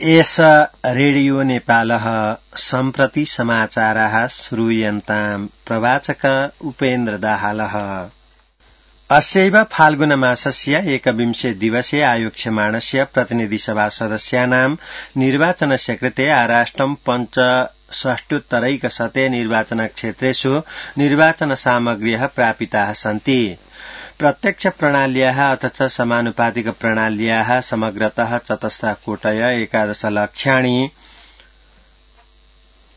एष रेडियो नेपालः सम्प्रति समाचाराः श्रूयन्ताम् प्रवाचक उपेन्द्र दाहालः। अस्यैव फाल्गुनमासस्य 21 दिवसे आयोक्ष्यमाणस्य प्रतिनिधिसभा सदस्यानां निर्वाचनस्य कृते आराष्ट्रं 65 निर्वाचनक्षेत्रेषु निर्वाचनसामग्र्यः प्रापिताः सन्ति। प्रत्यक्ष प्रणाल्याः अथ च समानुपातिक प्रणाल्याः समग्रतः 14,11,00,000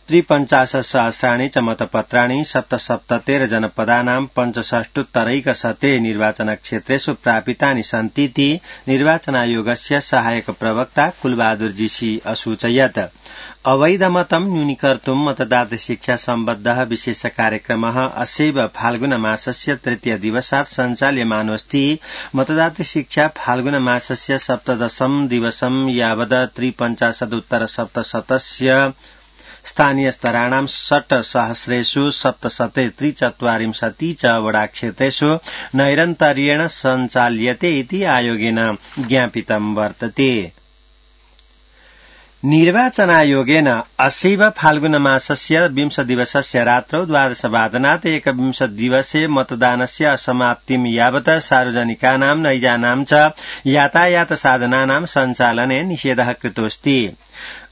53,000 च मतपत्राणि 77 जनपदानां 65 निर्वाचनक्षेत्रेषु प्रापितानि सन्तीति निर्वाचनायोगस्य सहायक प्रवक्ता कुलबहादुर जीसी असूचयत्। अवैधमतं न्यूनीकर्तुं मतदाता शिक्षा सम्बद्धः विशेष कार्यक्रमः अस्यैव फाल्गुनमासस्य 3 दिवसात् सञ्चाल्यमानोऽस्ति। मतदाता शिक्षा फाल्गुनमासस्य 17 दिवसं यावत् 53,उत्तर-700 स्थानीय स्तराणां 6,000 743 च वडाक्षेत्रेषु नैरन्तर्येण सञ्चाल्यते इति आयोगेन ज्ञापितं वर्तते। निर्वाचनायोगेन अस्यैव फाल्गुनमासस्य 20 दिवसस्य रात्रौ 12:00 एकविंश दिवसे मतदानस्य असमाप्तिं यावत् सार्वजनिकानां नैजानां च यातायात साधनानां सञ्चालने निषेधः कृतोऽस्ति।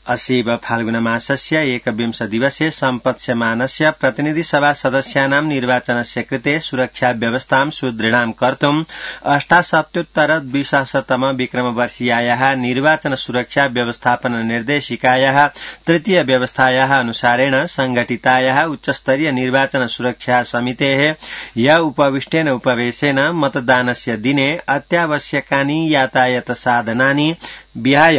अस्यैव फाल्गुनमासस्य 21 दिवसे सम्पत्स्यमानस्य प्रतिनिधिसभा सदस्यानां निर्वाचनस्य कृते सुरक्षा व्यवस्थां सुदृढां कर्तुं 78-20तम विक्रमवर्षीयायाः निर्वाचन सुरक्षा व्यवस्थापन निर्देशिकायाः 3 व्यवस्थायाः अनुसारेण संघटितायाः उच्चस्तरीय निर्वाचन सुरक्षा समितेः य उपविष्टेन उपवेशेन मतदानस्य दिने अत्यावश्यकानि यातायात साधनानि विहाय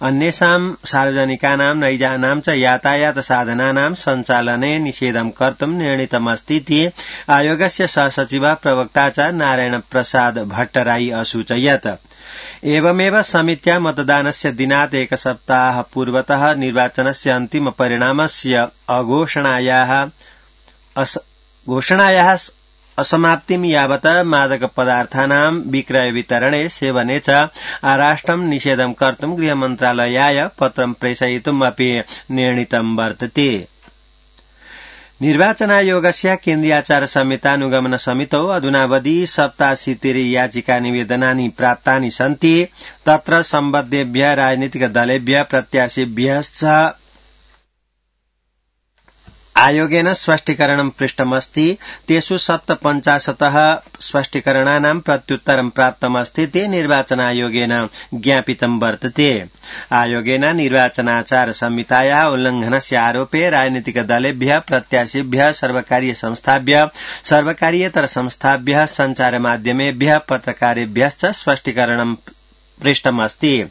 अन्येषां सार्वजनिकानां नैजानां च यातायात साधनानां सञ्चालने निषेधं कर्तुं निर्णीतमस्तीति आयोगस्य सहसचिव प्रवक्ता च नारायण प्रसाद भट्टराई असूचयत्। एवमेव समित्या मतदानस्य दिनात् एक सप्ताह पूर्वतः निर्वाचनस्य अन्तिम परिणामस्य घोषणायाः असमाप्तिं यावत् मादक पदार्थानां विक्रय वितरणे सेवने च आराष्ट्रं निषेधं कर्तुं गृहमन्त्रालयाय पत्रं प्रेषयितुम् अपि निर्णीतं वर्तते। निर्वाचनायोगस्य केन्द्रीयाचार संहितानुगमन समितौ अधुनावधि 87 याचिका निवेदनानि प्राप्तानि सन्ति। तत्र सम्बद्धेभ्यः राजनीतिक दलेभ्यः प्रत्याशिभ्यश्च आयोगेन स्पष्टीकरणं पृष्टमस्ति। तेषु 57 स्पष्टीकरणानां प्रत्युत्तरं प्राप्तमस्तीति निर्वाचनायोगेन ज्ञापितं वर्तते। आयोगेन निर्वाचनाचार संहितायाः उल्लंघनस्य आरोपे राजनीतिक दलेभ्यः प्रत्याशिभ्यः सर्वकारीय संस्थाभ्यः सर्वकारीयेतर संस्थाभ्यः सञ्चारमाध्यमेभ्यः पत्रकारेभ्यश्च स्पष्टीकरणं पृष्टमस्ति।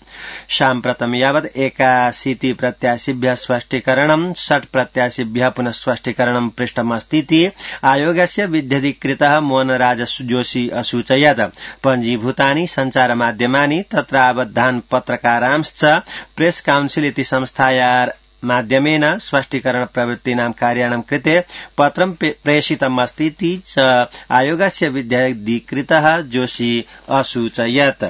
साम्प्रतं यावत् 81 प्रत्याशिभ्यः स्पष्टीकरणं 6 प्रत्याशिभ्यः पुनः स्पष्टीकरणं पृष्टमस्तीति आयोगस्य विध्यधिकृतः मोहनराज जोशी असूचयत्। पञ्जीभूतानि सञ्चारमाध्यमानि तत्र आबद्धान् पत्रकारांश्च प्रेस काउन्सिल इति संस्थाया माध्यमेन स्पष्टीकरण प्रवृत्तीनां कार्याणां कृते पत्रं प्रेषितमस्तीति च आयोगस्य विध्यधिकृतः जोशी असूचयत्।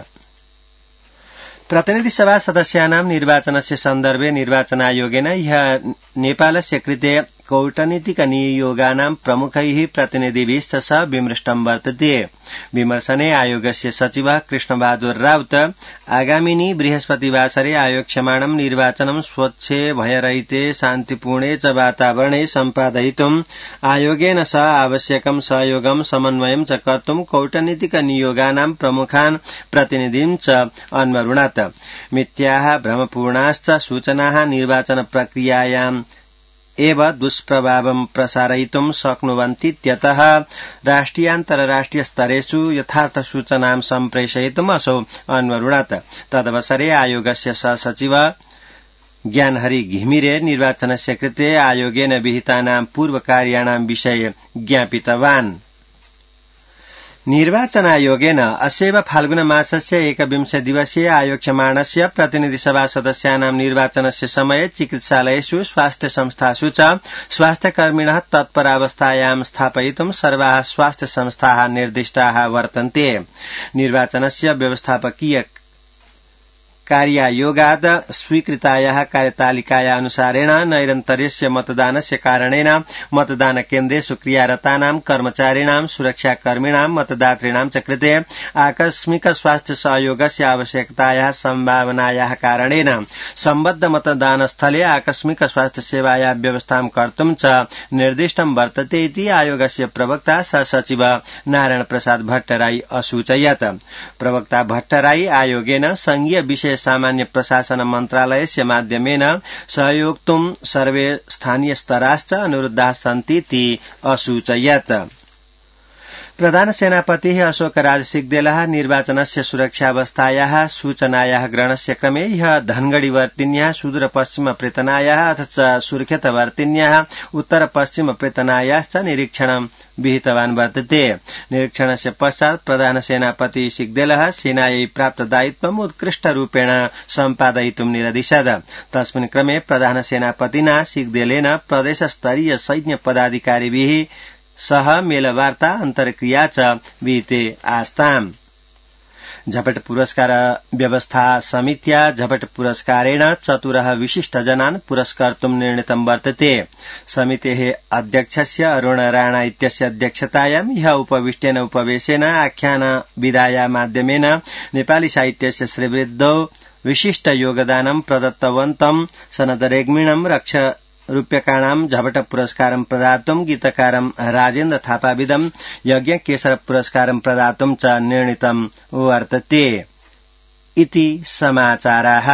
प्रतिनिधिसभा सदस्यानां निर्वाचनस्य सन्दर्भे निर्वाचनायोगेन ह्यः नेपालस्य कृते कूटनीतिक नियोगानां प्रमुखैः प्रतिनिधिभिश्च सह विमृष्टं वर्तते। विमर्शने आयोगस्य सचिवः कृष्णबहादुर राउत आगामिनि बृहस्पतिवासरे आयोक्ष्यमाणं निर्वाचनं स्वच्छे भयरहिते शान्तिपूर्णे च वातावरणे सम्पादयितुम् आयोगेन सह आवश्यकं सहयोगं समन्वयं च कर्तुं कूटनीतिक नियोगानां प्रमुखान् प्रतिनिधिं च अन्वरुणत्। मिथ्याः भ्रमपूर्णाश्च सूचनाः निर्वाचन प्रक्रियायाम् एव दुष्प्रभावं प्रसारयितुं शक्नुवन्तीत्यतः राष्ट्रियान्तरराष्ट्रिय स्तरेषु यथार्थ सूचनां सम्प्रेषयितुम् असौ अन्वरुणत्। तदवसरे आयोगस्य सहसचिव ज्ञानहरि घिमिरे निर्वाचनस्य कृते आयोगेन विहितानां पूर्वकार्याणां विषये ज्ञापितवान्। निर्वाचनायोगेन अस्यैव फाल्गुनमासस्य 21 दिवसीय आयोक्ष्यमाणस्य प्रतिनिधिसभा सदस्यानां निर्वाचनस्य समये चिकित्सालयेषु स्वास्थ्य संस्थासु च स्वास्थ्यकर्मिणः तत्परावस्थायां स्थापयितुं सर्वाः स्वास्थ्य संस्थाः निर्दिष्टाः वर्तन्ते। निर्वाचनस्य व्यवस्थापकीय कार्यायोगात् स्वीकृतायाः कार्यतालिकाया अनुसारेण नैरन्तर्यस्य मतदानस्य कारणेन मतदानकेन्द्रेषु क्रियारतानां कर्मचारिणां सुरक्षाकर्मिणां मतदातॄणां च कृते आकस्मिक स्वास्थ्य सहयोगस्य आवश्यकतायाः सम्भावनायाः कारणेन सम्बद्ध मतदानस्थले आकस्मिक स्वास्थ्य सेवायाः व्यवस्थां कर्तुं च निर्दिष्टं वर्तते इति आयोगस्य प्रवक्ता सचिव नारायण प्रसाद भट्टराई असूचयत्। प्रवक्ता भट्टराई आयोगेन संघीय विषय सामान्य प्रशासन मन्त्रालयस्य माध्यमेन सहयोक्तुं सर्वे स्थानीय स्तराश्च अनुरुद्धाः सन्तीति असूचयत्। प्रधान सेनापतिः अशोक राज सिग्देलः निर्वाचनस्य सुरक्षावस्थायाः सूचनायाः ग्रहणस्य क्रमे ह्यः धनगढ़ीवर्तिन्याः सुदूरपश्चिम प्रेतनायाः अथ च सुर्खेतवर्तिन्याः उत्तरपश्चिम प्रेतनायाश्च निरीक्षणं विहितवान् वर्तते। निरीक्षणस्य पश्चात् प्रधान सेनापति सिग्देलः सेनायै प्राप्त दायित्वम् उत्कृष्टरूपेण सम्पादयितुं निरदिशत्। तस्मिन् क्रमे प्रधान सेनापतिना सिग्देलेन प्रदेशस्तरीय सैन्य पदाधिकारिभिः सह मेलवार्ता अन्तर्क्रिया च विहिते आस्ताम्। झपट पुरस्कार व्यवस्था समित्या झपट पुरस्कारेण 4 विशिष्टजनान् पुरस्कर्तुं निर्णीतं वर्तते। समितेः अध्यक्षस्य अरुण राणा इत्यस्य अध्यक्षतायां ह्यः उपविष्टेन उपवेशेन आख्यान विधाया माध्यमेन नेपाली साहित्यस्य श्रीवृद्धौ विशिष्ट योगदानं प्रदत्तवन्तं सनद रेग्मिणं रूप्यकाणां झपट पुरस्कारं प्रदातुं गीतकारं राजेन्द्र थापाविदं यज्ञ केशर पुरस्कारं प्रदातुं च निर्णीतं वर्तते इति समाचाराः।